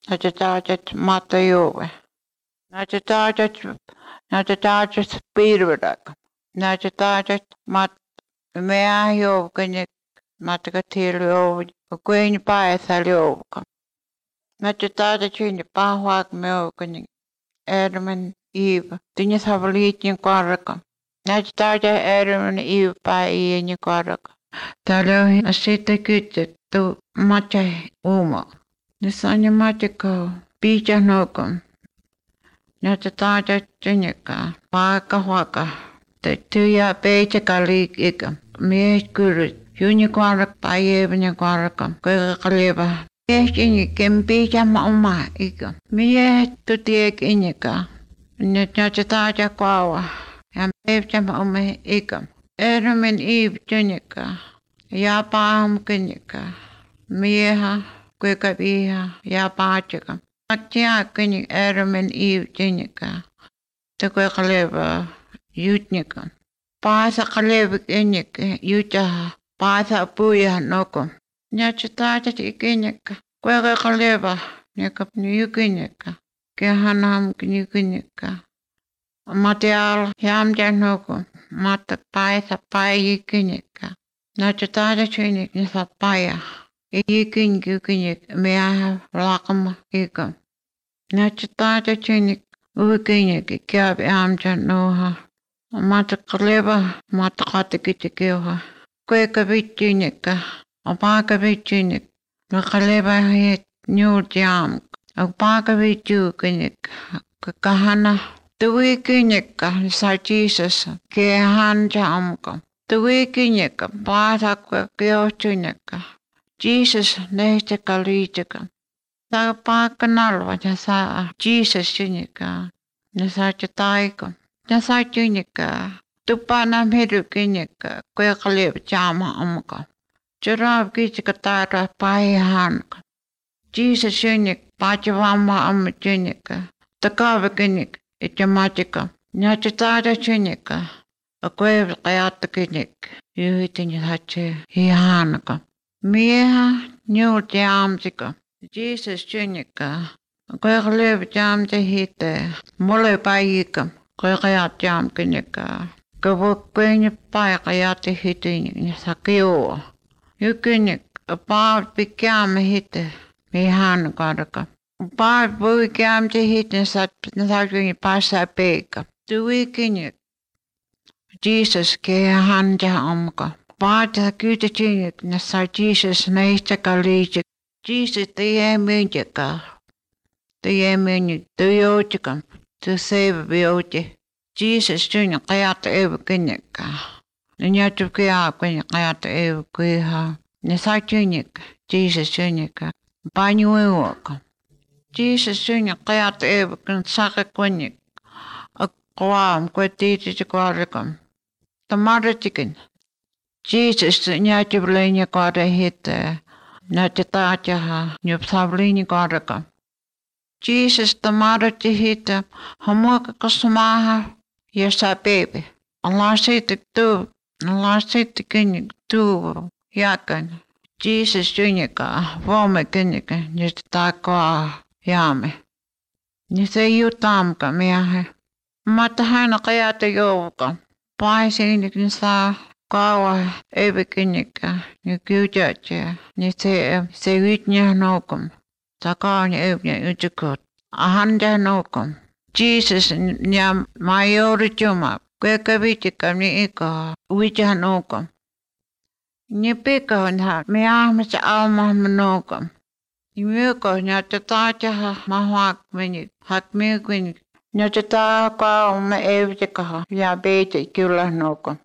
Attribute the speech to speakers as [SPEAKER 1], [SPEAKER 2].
[SPEAKER 1] Nachetajet Matayove. Nachetajet Pirvidak. Nachetajet Mat Meahov Ganek Matakatilio, Queen Paethalioka. Nachetajet in the Pahwak Milkanik, Edmund Eve, Dinis Havalitin Quaraka. Nachetaja Edmund Eve by in your Quaraka. Talo a sita good to Macha Uma. The Sanya Machiko, Bija Nokum. Natataja Jinika, Waka Waka, the Tuya Beja Kalik, Mere Guru, Uniquarak by Evania Quaraka, Gurkaleva. Yes, in can Bija Mama, Ika. Mere to take Inika, Natataja Kwawa, and Beja Mama Ika. Adam and Eve Jinika, Yapam Kinika, Mieha, Quikabiha, Yapachika. Atia kini Adam and Eve jinika. Te kaleva yutnika. Pasa kaleva inika yuta. Pasa puya noko. Nyachitata ikinika. Kweka kaleva nika nyukinika. Kehanam nyukinika. Material yamja noko. Mata paisa paya ikinika. Nachitata chinik nisa paya. Ikin yukinik mea lakam ikam. Nachitata chinik ukinik kiab amja noha. Mata kaleva mata katikitikiwa. Kweka vichinika. Opaka vichinik. Nakaleva hit nyul jam. Opaka vichukinik. Kahana. Tuwikinika sa Jesus. Kehan jamka. Tuwikinika. Bata kwa kiochinika. Jesus nehte kalitika. Sa pakanalva ja sa Jesus chinika. Ja sa chataika. Ja sa chinika. Tupana medu kinika. Kwe kalib jama amka. Charav kichika tara pahihanka. Jesus chinik pachavama am chinika. Takava kinik itamatika. Ja chatara chinika. Kwe kayata kinik. Yuhitin hache hihanka. Mieha nyul jamsika. Jesus chinika. Kweklev jamse hite. Mole paikam. Kwekayat jam kinika. Kwekwenye paikayat hite sakio. Yukinik. Paat pikyam hite. Mihan karaka. Paat puikyam se hite nasakini pasa peika. Tuikinik. Jesus kehan jamka. Paata kyyti chinik na sa Jesus meistä kalijik. Jesus te myyntika. Te myyntik. Te joutika. Te save bioti. Jesus chinik kajata evu kinikka. Ne nyatu kia kwenye kajata evu kiha. Ne sa chinik. Jesus chinika. Panyu evuka. Jesus chinik kajata evu kin saka kwenik. Akwaam kwe tiiti chikwarikam. Tamara chikin. Jesus nyatjuvlini kare hite. Natjataatjaha nyupsavlini kareka. Jesus tamarati hite. Hamuaka kasmaha. Yesa baby. Allah sitte tu. Allah sitte kinik tu. Jakan. Jesus junika. Vome kinika. Nyatatakwa jame. Nise jutamka miahe. Mata haina kajata jouka. Paisinik nisa. Kawa evikinika, ni kyujache, ni se ytnya nokum. Takani evnya ytjukut. Ahanda nokum. Jesus nya majori chuma. Kweka vitika ni ika uitja nokum. Ni pika on ha me ahmasa alma nokum. Ni myuko nya tataja mahwak meni hak myukin. Nya tata ka me evjika ya beite kyllä nokum.